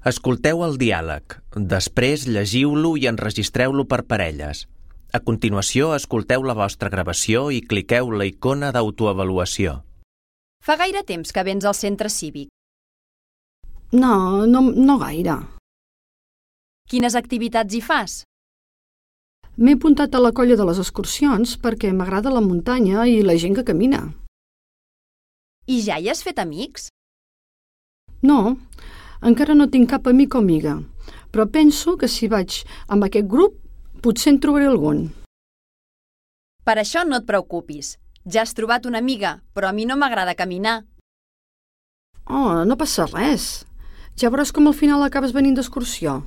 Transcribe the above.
Escolteu el diàleg. Després llegiu-lo i enregistreu-lo per parelles. A continuació, escolteu la vostra gravació i cliqueu la icona d'autoavaluació. Fa gaire temps que vens al centre cívic. No gaire. Quines activitats hi fas? M'he apuntat a la colla de les excursions perquè m'agrada la muntanya i la gent que camina. I ja hi has fet amics? No, encara no tinc cap amic o amiga, però penso que si vaig amb aquest grup potser en trobaré algun. Per això no et preocupis. Ja has trobat una amiga, però a mi no m'agrada caminar. Oh, no passa res. Ja veuràs com al final acabes venint d'excursió.